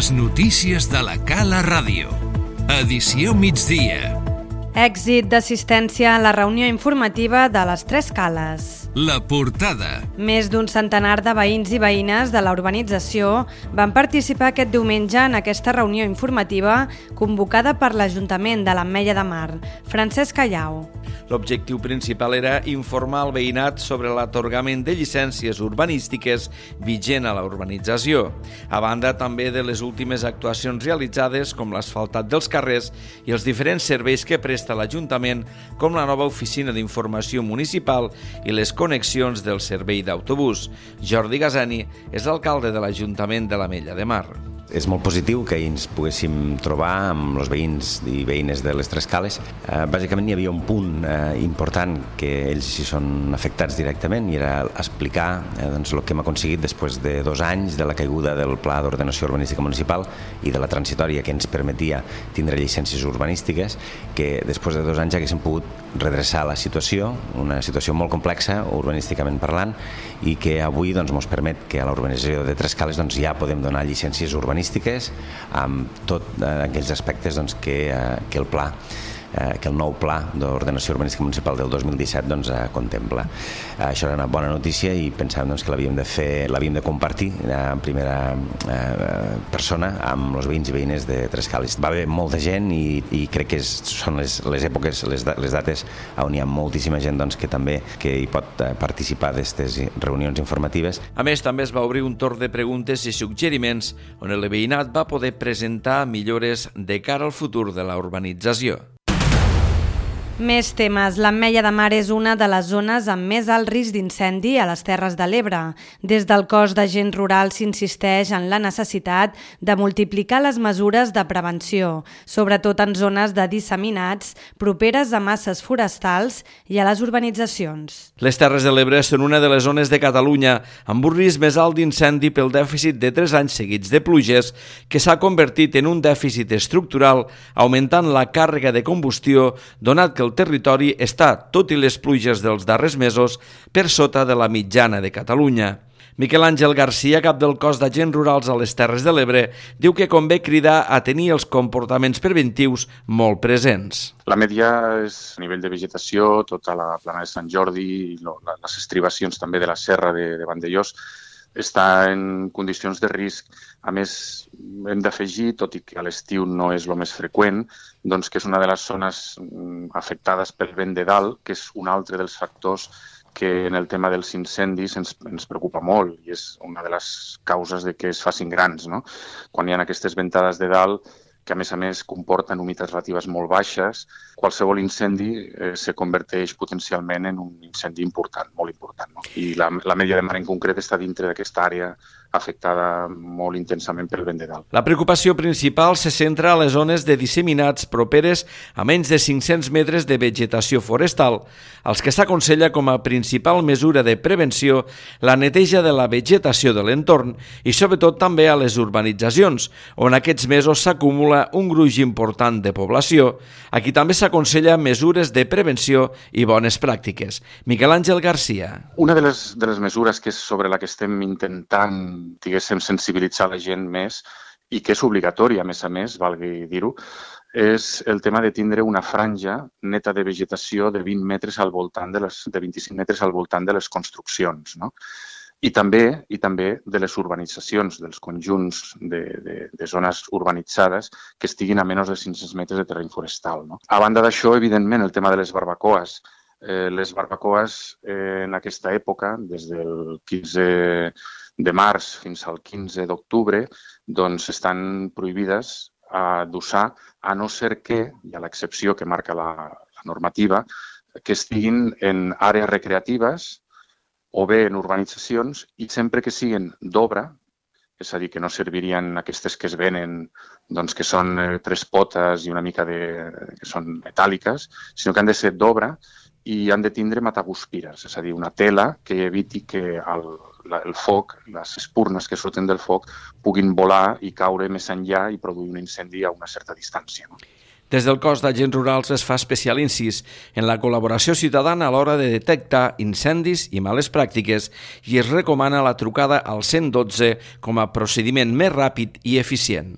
Les notícies de la Cala Ràdio. Edició migdia. Èxit d'assistència a la reunió informativa de les Tres Cales. La portada. Més d'un centenar de veïns i veïnes de la urbanització van participar aquest diumenge en aquesta reunió informativa convocada per l'Ajuntament de l'Ametlla de Mar. Francesc Callau. L'objectiu principal era informar el veïnat sobre l'atorgament de llicències urbanístiques vigent a la urbanització, a banda també de les últimes actuacions realitzades com l'asfaltat dels carrers i els diferents serveis que presta l'Ajuntament, com la nova oficina d'informació municipal i les connexions del servei d'autobús. Jordi Gasani és l'alcalde de l'Ajuntament de l'Ametlla de Mar. És molt positiu que ens poguéssim trobar amb els veïns i veïnes de les Tres Cales. Bàsicament hi havia un punt important que ells hi són afectats directament i era explicar el que hem aconseguit després de 2 anys de la caiguda del Pla d'Ordenació Urbanística Municipal i de la transitòria que ens permetia tindre llicències urbanístiques, que després de 2 anys haguéssim pogut redreçar la situació, una situació molt complexa urbanísticament parlant, i que avui ens permet que a la urbanització de Tres Cales ja podem donar llicències urbanístiques amb tots aquells aspectes que el pla, que el nou Pla d'Ordenació Urbanística Municipal del 2017 contempla. Això era una bona notícia i pensàvem que l'havíem de compartir en primera persona amb els veïns i veïnes de Tres Cales. Va haver molta gent i crec que són les èpoques, les dates on hi ha moltíssima gent que hi pot participar d'aquestes reunions informatives. A més, també es va obrir un torn de preguntes i suggeriments on el veïnat va poder presentar millores de cara al futur de la urbanització. Més temes. L'Ametlla de Mar és una de les zones amb més alt risc d'incendi a les Terres de l'Ebre. Des del cos d'agents rurals s'insisteix en la necessitat de multiplicar les mesures de prevenció, sobretot en zones de disseminats properes a masses forestals i a les urbanitzacions. Les Terres de l'Ebre són una de les zones de Catalunya amb un risc més alt d'incendi pel dèficit de 3 anys seguits de pluges que s'ha convertit en un dèficit estructural, augmentant la càrrega de combustió, donat que el territori està, tot i les pluges dels darrers mesos, per sota de la mitjana de Catalunya. Miquel Àngel Garcia, cap del cos d'agents rurals a les Terres de l'Ebre, diu que convé cridar a tenir els comportaments preventius molt presents. L'Ametlla és a nivell de vegetació, tota la plana de Sant Jordi i les estribacions també de la serra de Vandellós està en condicions de risc. A més, hem d'afegir, tot i que a l'estiu no és el més freqüent, que és una de les zones afectades pel vent de dalt, que és un altre dels factors que en el tema dels incendis ens preocupa molt i és una de les causes de que es facin grans, no? Quan hi ha aquestes ventades de dalt, que a més comporten humitats relatives molt baixes, qualsevol incendi se converteix potencialment en un incendi important, molt important. No? I l'Ametlla de Mar en concret està dintre d'aquesta àrea afectada molt intensament pel vent de dalt. La preocupació principal se centra a les zones de disseminats properes a menys de 500 metres de vegetació forestal, als que s'aconsella com a principal mesura de prevenció la neteja de la vegetació de l'entorn i sobretot també a les urbanitzacions, on aquests mesos s'acumula un gruix important de població. Aquí també s'aconsella mesures de prevenció i bones pràctiques. Miquel Àngel Garcia. Una de les mesures que és sobre la que estem intentant sensibilitzar la gent més i que és obligatòria, a més, valgui dir-ho, és el tema de tindre una franja neta de vegetació de 20 metres al voltant de 25 metres al voltant de les construccions, no? I també de les urbanitzacions, dels conjunts de zones urbanitzades que estiguin a menys de 500 metres de terreny forestal. No? A banda d'això, evidentment, el tema de les barbacoes. Les barbacoes en aquesta època, des del 15 de març fins al 15 d'octubre, estan prohibides d'usar, a no ser que, hi ha l'excepció que marca la normativa, que estiguin en àrees recreatives o bé en urbanitzacions i sempre que siguin d'obra, és a dir, que no servirien aquestes que es venen, que són 3 potes i una mica que són metàl·liques, sinó que han de ser d'obra i han de tindre mataguspires, és a dir, una tela que eviti que el foc, les espurnes que surten del foc, puguin volar i caure més enllà i produir un incendi a una certa distància. No? Des del cos d'agents rurals es fa especial incís en la col·laboració ciutadana a l'hora de detectar incendis i males pràctiques i es recomana la trucada al 112 com a procediment més ràpid i eficient.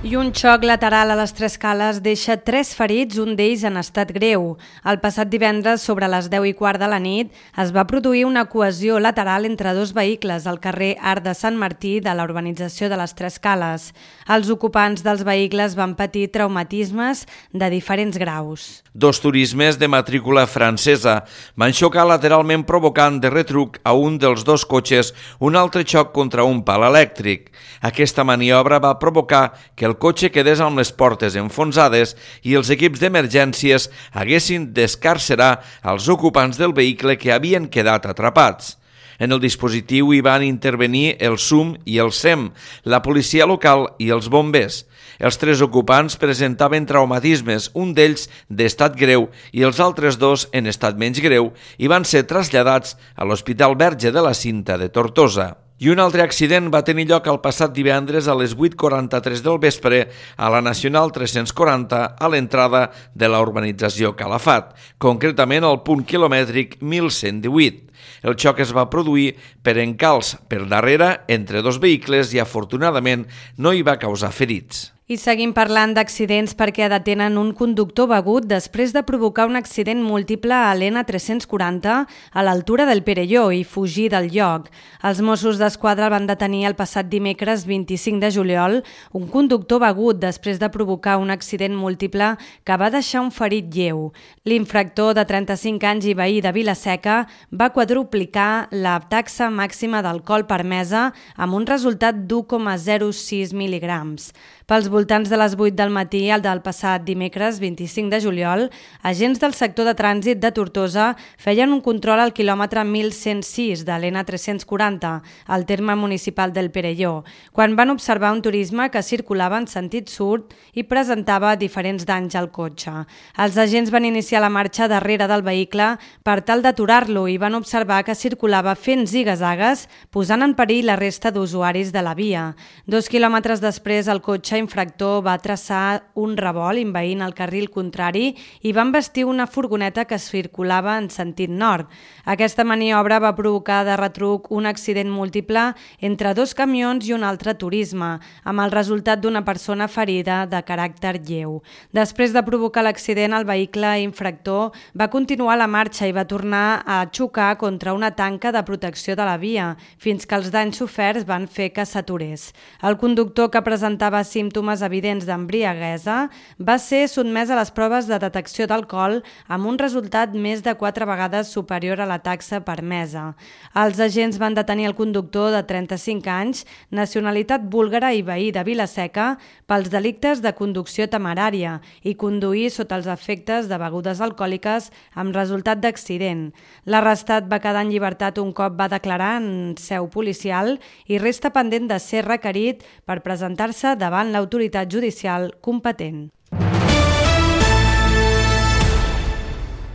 I un xoc lateral a les Tres Cales deixa 3 ferits, un d'ells en estat greu. El passat divendres, sobre les 10:15 de la nit, es va produir una cohesió lateral entre 2 vehicles al carrer Arc de Sant Martí de la urbanització de les Tres Cales. Els ocupants dels vehicles van patir traumatismes de diferents graus. 2 turismes de matrícula francesa van xocar lateralment provocant de retruc a un dels 2 cotxes un altre xoc contra un pal elèctric. Aquesta maniobra va provocar que el cotxe quedés amb les portes enfonsades i els equips d'emergències haguessin d'escarcerar els ocupants del vehicle que havien quedat atrapats. En el dispositiu hi van intervenir el SUM i el SEM, la policia local i els bombers. Els 3 ocupants presentaven traumatismes, un d'ells d'estat greu i els altres 2 en estat menys greu, i van ser traslladats a l'Hospital Verge de la Cinta de Tortosa. I un altre accident va tenir lloc el passat divendres a les 8:43 del vespre a la Nacional 340 a l'entrada de la urbanització Calafat, concretament al punt quilomètric 1118. El xoc es va produir per encalç per darrere entre 2 vehicles i afortunadament no hi va causar ferits. I seguim parlant d'accidents perquè detenen un conductor begut després de provocar un accident múltiple a l'N340 a l'altura del Perelló i fugir del lloc. Els Mossos d'Esquadra el van detenir el passat dimecres 25 de juliol un conductor begut després de provocar un accident múltiple que va deixar un ferit lleu. L'infractor de 35 anys i veí de Vila-seca va quadruplicar la taxa màxima d'alcohol permesa amb un resultat d'1,06 mil·ligrams. Pels voltants de les 8 del matí, el del passat dimecres 25 de juliol, agents del sector de trànsit de Tortosa feien un control al quilòmetre 1106 de l'N340, al terme municipal del Perelló, quan van observar un turisme que circulava en sentit sud i presentava diferents danys al cotxe. Els agents van iniciar la marxa darrere del vehicle per tal d'aturar-lo i van observar que circulava fent ziga-zagues, posant en perill la resta d'usuaris de la via. 2 quilòmetres després, el cotxe infractor va traçar un revolt envaint el carril contrari i va embestir una furgoneta que circulava en sentit nord. Aquesta maniobra va provocar de retruc un accident múltiple entre 2 camions i un altre turisme, amb el resultat d'una persona ferida de caràcter lleu. Després de provocar l'accident, el vehicle infractor va continuar la marxa i va tornar a xocar contra una tanca de protecció de la via, fins que els danys soferts van fer que s'aturés. El conductor, que presentava símptomes evidents d'embriaguesa, va ser sotmès a les proves de detecció d'alcohol amb un resultat més de 4 vegades superior a la taxa permesa. Els agents van detenir el conductor de 35 anys, nacionalitat búlgara i veí de Vila-seca, pels delictes de conducció temerària i conduir sota els efectes de begudes alcohòliques amb resultat d'accident. L'arrestat va quedar en llibertat un cop va declarar en seu policial i resta pendent de ser requerit per presentar-se davant l'autoritat judicial competent.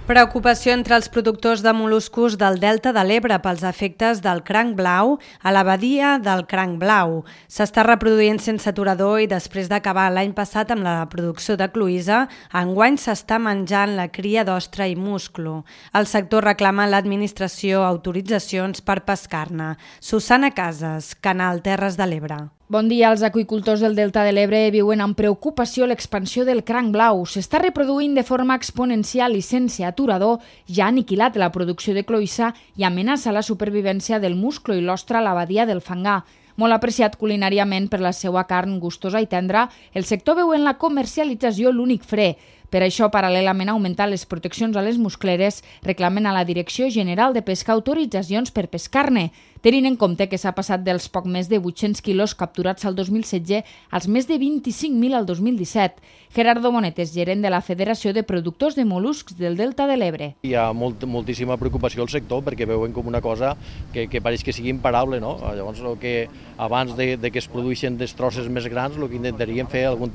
Preocupació entre els productors de mol·luscos del Delta de l'Ebre pels efectes del cranc blau a la badia del cranc blau. S'està reproduint sense aturador i després d'acabar l'any passat amb la producció de cloïssa, enguany s'està menjant la cria d'ostra i musclo. El sector reclama a l'administració autoritzacions per pescar-ne. Susana Casas, Canal Terres de l'Ebre. Bon dia. Els aqüicultors del Delta de l'Ebre viuen amb preocupació l'expansió del cranc blau. S'està reproduint de forma exponencial i sense aturador, ja ha aniquilat la producció de cloïssa i amenaça la supervivència del musclo i l'ostra a la badia del Fangar. Molt apreciat culinàriament per la seva carn gustosa i tendra, el sector veu en la comercialització l'únic fre. Per això, paral·lelament a augmentar les proteccions a les muscleres, reclamen a la Direcció General de Pesca autoritzacions per pescar-ne, tenint en compte que s'ha passat dels poc més de 800 quilos capturats al 2016 als més de 25.000 al 2017. Gerardo Monetes, gerent de la Federació de Productors de Mol·luscs del Delta de l'Ebre. Hi ha moltíssima preocupació al sector perquè veuen com una cosa que pareix que sigui imparable, no? Llavors, que abans de que es produeixin destrosses més grans, el que intentaríem fer algun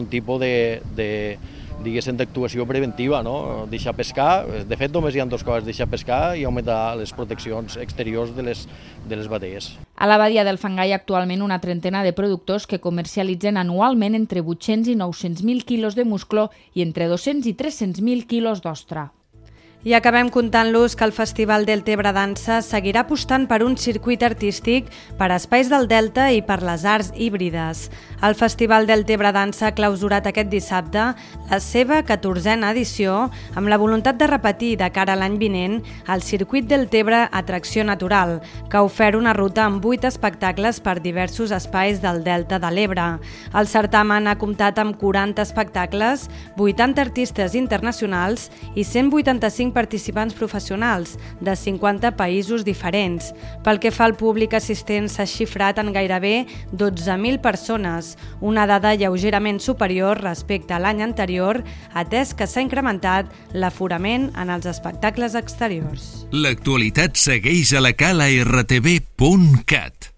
tipus diguéssim, d'actuació preventiva, no? Deixar pescar. De fet, només hi ha 2 coses, deixar pescar i augmentar les proteccions exteriors de les batees. A la badia del Fangà hi ha actualment una trentena de productors que comercialitzen anualment entre 800 i 900.000 quilos de musclo i entre 200 i 300.000 quilos d'ostra. I acabem contant-los que el Festival del Tebre Dansa seguirà apostant per un circuit artístic per a espais del Delta i per les arts híbrides. El Festival del Tebre Dansa ha clausurat aquest dissabte la seva 14a edició amb la voluntat de repetir de cara a l'any vinent el Circuit del Tebre Atracció Natural, que ha ofert una ruta amb 8 espectacles per diversos espais del Delta de l'Ebre. El certamen ha comptat amb 40 espectacles, 80 artistes internacionals i 185 participants professionals de 50 països diferents. Pel que fa al públic assistent, s'ha xifrat en gairebé 12.000 persones, una dada lleugerament superior respecte a l'any anterior, atès que s'ha incrementat l'aforament en els espectacles exteriors. L'actualitat segueix a la cala rtv.cat.